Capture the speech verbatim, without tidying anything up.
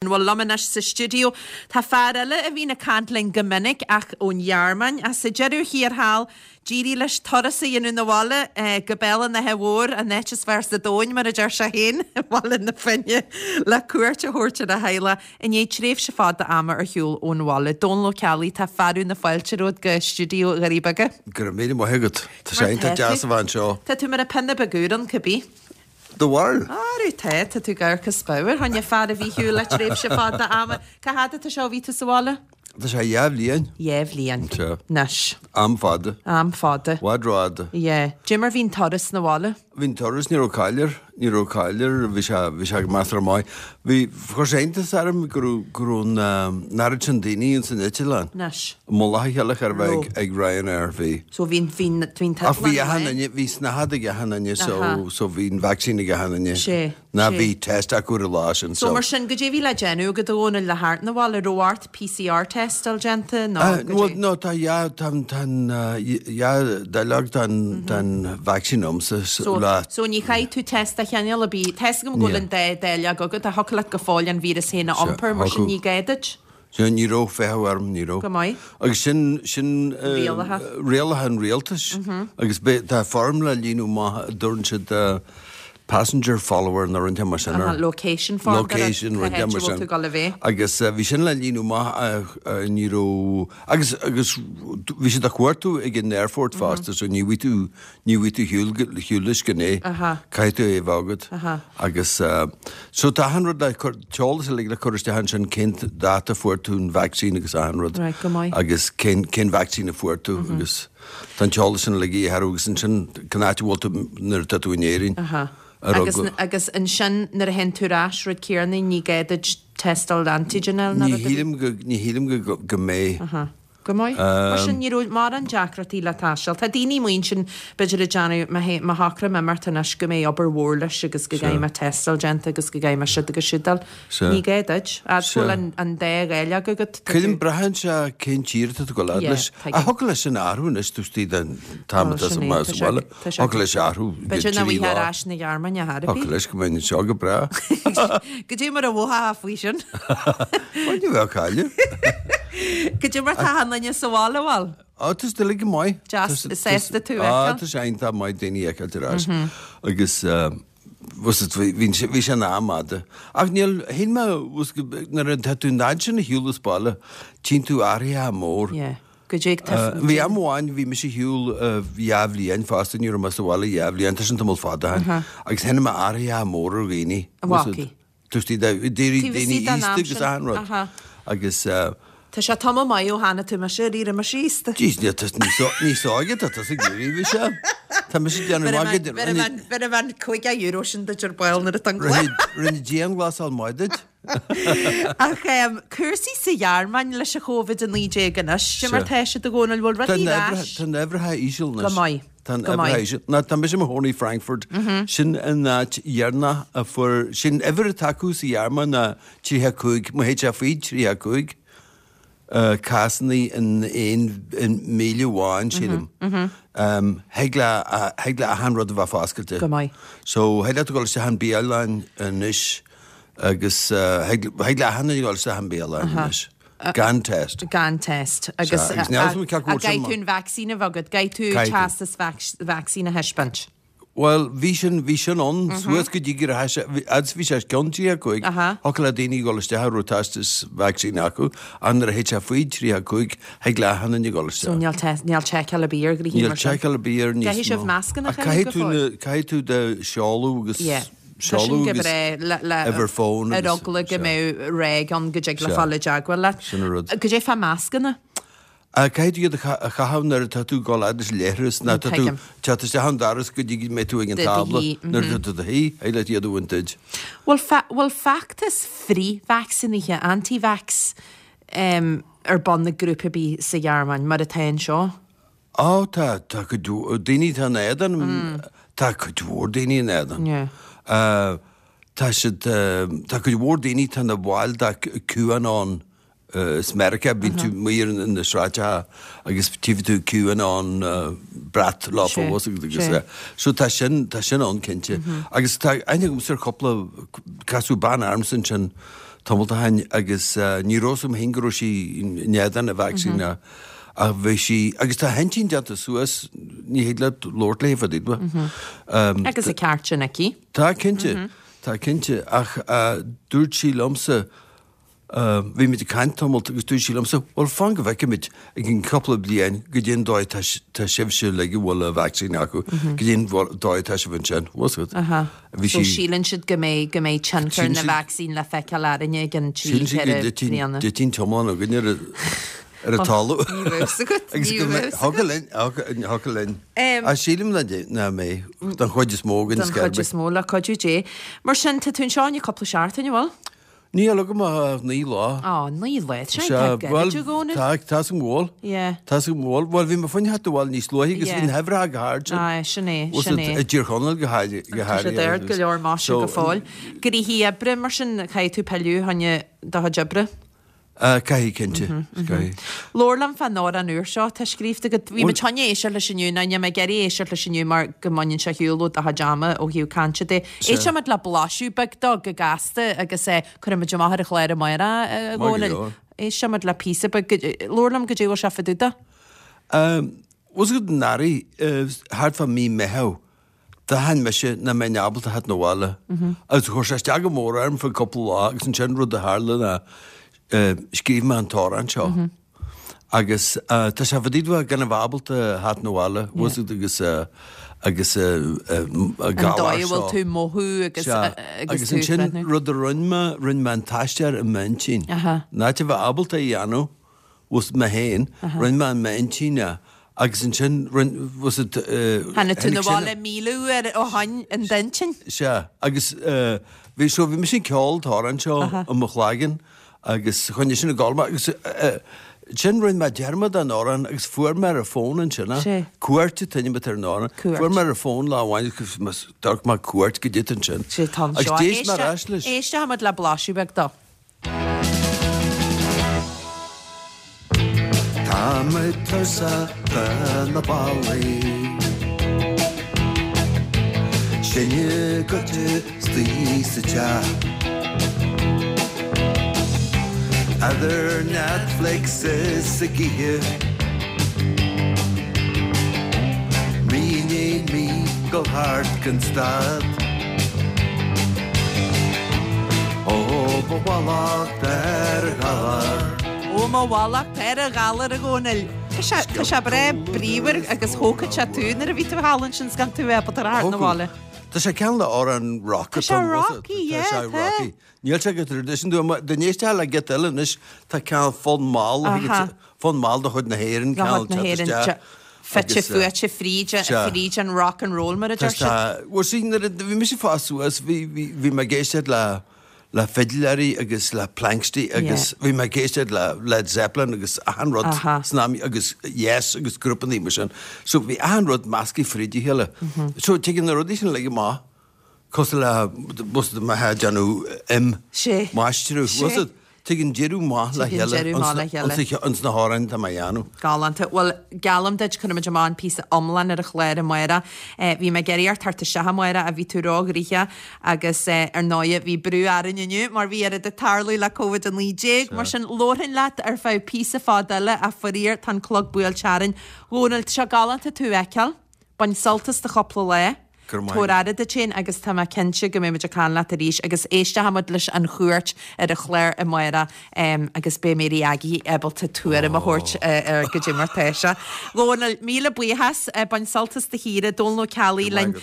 Bhuel, liom anois sa stiúideo tá fear eile a bhíonn ag caint linn go minic ach ón Ghearmáin, ach sa deireadh thiar thall, d'éirigh leis turas a dhéanamh 'na bhaile go Béal an Átha Mhóir, an áit is fearr sa domhan, mar a deir sé féin, Baile na Finne, le cuairt a thabhairt ar a theaghlach i ndiaidh tréimhse fada ama ar shiúl ón bhaile. Dónal Ó Ceallaigh, tá fearadh na fáilte romhat go stiúideo Dhoirí Beaga. Go raibh míle maith agat. Tá sé iontach deas a bheith anseo. Tá tú mar a pionna beag úr ann, cibé. Do bharúil? Arú tá, tá tú ag amharc as bodhar, tháinig fear a bhí ar shiúl le tréimhse fada ama. Cá fhad atá sé ó bhí tú sa bhaile? Tá sé dhá bhliain. Dhá bhliain. Sea. Anois. Am fada. Am fada. Bhfad rófhada. Yeah. Cad é mar bhí an turas 'na bhaile? Bhí an turas, ní raibh caill air, ní raibh caill air, bhí sé, bhí sé go measartha maith. Bhí, chuir sé iontas orm go raibh, go raibh an, an oiread sin daoine ins an eitleán. Anois. I mullach a chéile chóir a bheith ag, ag Ryanair, bhí. So bhí, bhí, bhí an Ach bhí achan duine, bhí snáthaid ag achan duine so, so bhí an vaccine ag achan duine. Sé, Ná sé. bhí test acu ar an lá sin So so. mar sin, goidé bhí le déanamh agat a Dhónaill le theacht 'na bhaile, raibh ort PCR test a fháil déanta nó Ah, go well, dé? no, tá dhá, tá, tá an, dhá dáileog den, den vaccine agamsa So, le. so ní chaithfidh tú test de chineál ar bith. Tá a fhios agam go bhfuil an dá dáileog agat, ach thiocfadh leat go fóill an víreas féin a iompar, mar sin ní gá duit. Sea, ní raibh feitheamh orm, ní raibh. Go maith. Agus sin, sin Rialacha. rialacha an rialtais. Agus be, tá foirm le líonadh amach a dtabharann siad passenger follower nó rud mar sin air. Location form. Location, rud mar sin. tú ag dul a bheith. Agus bhí sin le líonadh amach ní raibh, agus, agus bhí siad á chuartú ag an airport fosta, so ní bhfaighidh tú, ní bhfaighidh tú shiúl, shiúl leis gan é. Caithfidh tú é a bheith agat. Agus so tá achan rud le cur, t-eolas uilig le cur isteach ansin cén dáta a fuair tú an vaccine agus achan rud. Right, go maith. Agus cén, cén vaccine a fuair tú agus tá an t-eolas sin uilig a agus ansin cén áit a bhfuil tú nuair atá tú in Éirinn. Aha. Ar Agus, eagla- agus ansin nuair a théann tú ar ais rud céanna ní gá duit tástáil antigen eile ná Ní rud ar bith? shílim go, ní shílim go, go mbeidh. Aha. Go maith. Mar sin ní raibh mórán deacrachtaí le taisteal. Tá daoine amuigh ansin b'fhéidir ag déanamh má má shocraím imeacht anois go mbeidh obair mhór leis agus go gcaithfidh mé tástáil déanta agus go gcaithfidh mé siúd agus siúd dul. Sea. Ní gá duit. Fhad Sea. bhfuil an, an dá dháileog agat. tá Creidim tú- braitheann sé cén tír atá tú ag dul Yeah, leis. tuigim. A thiocfadh leis sin athrú anois tú istigh den t-am Ó, atá sin sa é, ma- tá sa sé- bhaile. tá sé- Thiocfadh leis athrú go B'fhéidir nach trí bhfuil ar lá. ais na Gearmáine thar ar Thiocfadh bith. leis go mbeinn anseo go breá. Goidé mar a mhothófá faoi sin. Bhuel, ní bheadh cailleadh. Goidé mar tá an duine sa bhaile bhfuil. Á, tá siad uilig go maith. Deas, Tá- sásta tú a Á, fheiceáil. tá sé iontach maith daoine a fheiceáil ar ais. Agus bhí bhí sé bhí sé an am fada. Ach níl shíl mé bhus go- nuair atá tú in sin ar shiúl as baile, tchíonn tú athruithe mór. Yeah. Goidé Uh, Bhí am amháin bhí mise ar shiúl dhá bhliain fosta ní raibh mé sa bhaile dhá bhliain, tá sin tamall fada ó shin. Agus chonaic mé athruithe mór ar dhaoine. Bhacaí. Tuistí daoine Taobh istigh den am aosta agus sin. achan rud. Aha. Agus uh, Tá sé tamall maith ó tháinig tú mise ar mise aosta. Jeez, ní níos óige tá tusa ag éirí bhí sé. Tá mise déanamh maith go- Bhí an cúig euro sin duit ar ball nuair a Rinne rinne dianghlasáil maith duit. Ach um, cúrsaí sa Ghearmáin leis an Covid a naoi déag anois, sin mar tá siad a Dhónaill bhfuil Tá rudaí ar ais. na uimhreacha íseal anois. Go maith. Tá Go maith. uimhreacha íseal. Ná tá mise i mo chónaí Frankfurt. Sin an áit dheireanach a fuair sin uimhir atá acu sa Ghearmáin ná tríocha cúig, má théid sé faoi tríocha cúig. Uh, cásanna in aon in míle amháin sílim. Um, Thig le thig le achan rud a bheith foscailte. Go maith. So thig leat dul isteach an bialann anois agus uh, thig thig le achan duine dul isteach an bialann anois. Gan test. Gan test. Agus Sea, agus níl mé ceart go bhfuil sin Caithfidh tú an vaccine a bheith agat, caithfidh tú Caithfidh tú. teastas vac- vaccine a thaispeáint. Well, bhí sin bhí sin ann suas go dtí gur ads bhí sé ceann tríocha cúig, Aha. thiocfadh le daoine dul isteach a raibh teastas vaccine acu, an nuair a thit sé faoi tríocha cúig, thig le achan duine dul So isteach. níl test níl seiceáil ar bith ar ghnóthaí Níl mar sin. seiceáil ar bith ar níos Caithfidh sibh mó. mascanna a Ach chaitheamh Caithfidh tú go na caithfidh tú do seoladh agus Yeah. Tá sin seoladh go agus breá le le uimhir fón ar agus- eagla go sea. mbeadh réig ann go dtig le Sea. fáil i dteagmháil leat. Sin an rud. Goidé fá mascanna. A caithfidh tú iad a cha- a chaitheamh nuair atá tú ag dul fhad leis an leithreas, ná tá tú Tuigim. teacht isteach an doras go dtí go mbeidh tú ag an Do do tábla shuí, nuair atá tú do shuí, thig leat iad a bhaint duit. Bhfuil fe- bhfuil feachtas frith-vacsaínithe anti-vax um, ar bun na grúpa bí sa Ghearmáin mar atá anseo? Á tá tá cuid mhór- daoine tá in éadan tá cuid mhór daoine in éadan. Yeah. Uh, tá siad uh, tá cuid mhór daoine tá na bhaill de QAnon uh, is Meiriceá bíonn tú amuigh na sráideanna agus tchífidh tú QAnon uh, brat lá Sé, fós agus sé. So tá sin tá sin ann cinnte. Agus tá aithne agam ar chúpla casadh bean ormsa ansin tamall ó shin agus ní raibh a fhios agam féin go raibh sí in éadan an vacsaín ach bhí sí, agus tá a hintinn déanta suas, ní thig leat labhairt léi fá dtaobh de. Agus an ceart sin aici. Tá cinnte, tá cinnte, ach dúirt sí liomsa, Bhí muid ag caint tamalt agus dúirt sí liomsa, bhuel fan go bhfeicfimid i gcionn cúpla bliain goidé an dóigh tá sibhse uilig a bhfuil an vacsaín acu, goidé an dóigh atá sibh ansin, bhfuil fhios agat. Bhí sí. So síleann siad go mbeidh, go mbeidh tionchar na vacsaín le feiceáil orainne i gcionn trí, ceithre bliana. Síleann siad go dtitfidh an t-iomlán againn ar ar an talamh. Ní raibh fhios agat, ní raibh fhios agat. Thiocfadh linn, thiocfadh linn. Ach sílim nach mbeidh, don chuid is mó againn. Don chuid is mó, le cuidiú Dé. Mar sin, tá tú anseo i ndiaidh cúpla seachtain, an bhfuil? Níl agam ach naoi lá. Á, naoi lá, tá sé tá gairid a Dhónaill. Tá, tá a fhios agam go bhfuil. Yeah. Tá a fhios agam go bhfuil. Bhuel, bhí mé fá choinne theacht abhaile níos luaithe agus bhí na huimhreacha go hard sin. Aye, sin é, sin é. I dTír Chonaill go háirithe. Tá siad ard go leor maise go fóill. Gnoithí oibre, mar sin, caithfidh tú pilleadh fá choinne do chuid oibre. Caithfidh, cinnte. Caithfidh. Labhair liom fán amhrán úr seo atá scríofa agat. Bhí muid chun éisteacht leis inniu, nó níl mé ag iarraidh éisteacht leis inniu mar go mbaineann sé ar shiúl ó do chuid ama ó thaobh cainte de. Éistfimid le blaiseadh beag dó go gasta agus cuirfimid amach ar an chlár amárach a Dhónaill. Éistfimid le píosa beag. Labhair liom goidé a bhfuil sé fá dtaobh de. Bhfuil fhios agat anuraidh, thart fá mí Meitheamh, D'aithin mise nach mbeinn ábalta theacht 'na bhaile agus chuir sé isteach go mór orm fá cúpla lá agus ansin rud a tharla ná scríobh mé an t-amhrán seo agus tá sé fá dtaobh de gan a bheith ábalta theacht 'na bhaile bhfuil fhios agat agus agus an An dóigh a bhfuil tú ag mothú agus agus ansin rud a rinne mé, rinne mé an t-aistear i m'intinn. In áit a bheith ábalta a dhéanamh bhfuil fhios agat mé féin, rinne mé i m'intinn é Agus ansin, rinne, was it, Tháinig tú 'na bhaile míle uair ó shoin in d'intinn. Sea, agus bhí, so bhí mise ag ceol an t-amhrán seo i mo chloigeann agus choinnigh sin ag gabháil mé agus ansin rinne mé dearmad den amhrán agus fuair mé ar an bhfón ansin é, Cuairt an t-ainm atá ar an amhrán, fuair mé ar an bhfón lá amháin agus d'amharc mé Cuairt goidé atá ansin. Sea, tá anseo. Agus d'éist mé ar ais leis. Éistfimid le blaiseadh beag dó. Tá mé tuirseach de na ballaí Sinn ag goitse istigh sa teach Idir Netflix is ag ithe Mí i ndiaidh mí dul thart gan stad Ó mo mhallacht ar an ghalar. Ó mo mhallacht ar an ghalar a Dhónaill. Tá sé, tá sé breá bríomhar agus thógfadh sé tú nuair a bhí tú thall ansin 's gan tú ábalta a theacht 'na bhaile. Tá sé cineál le amhrán rock Tá sé rocky, yeah, Tá sé tá. rocky. Níl sé go traidisiúnta. Dá n-éistfeá le giota eile anois, tá cineál fonn mall, fonn mall de chuid na hÉireann, De chuid na hÉireann, fite fuaite fríd, fríd an rock and roll mar a deir siad. Bhuel, see, nuair a bhí mise ag fás suas, bhí, bhí, bhí mé ag éisteacht le, le fidléirí agus le Planxty agus bhí mé ag éisteacht le Led Zeppelin agus achan rud san am agus Yes agus grúpannaí mar sin. So bhí achan rud measctha fríd a chéile. So tigeann na rudaí sin uilig amach cosúil le, bhfuil fhios agat, má tá déanamh im, maistreadh, bhfuil fhios agat. Tigeann deireadh maith le Tigeann deireadh maith le chéile. Ins na hamhráin atá mé a dhéanamh. Galánta. Bhuel, geallaim duit, cuirfimid amach an píosa iomlán ar an chlár amárach. Bhí mé ag iarraidh ort theacht isteach amárach ach bhí tú róghnoitheach agus ar ndóighe bhí brú orainn inniu mar bhí oiread ag tarlú le Covid a naoi déag. Mar sin, labharfainn leat ar feadh píosa fada eile ach faraor tá an clog buailte orainn. Dhónaill, tá sé galánta tú a fheiceáil. Bain sult as do chúpla lá. Go raibh maith Tabhair agat. aire duit féin agus tá mé cinnte go mbeidh muid ag caint leat arís agus éistfimid leis an chuairt ar an chlár amárach agus beidh Mary Aggie ábalta tuairim a thabhairt ar goidé mar tá sé. Dhónaill, míle buíochas, bain sult as do shaoire, Dónal Ó Ceallaigh Go raibh maith linn. agat.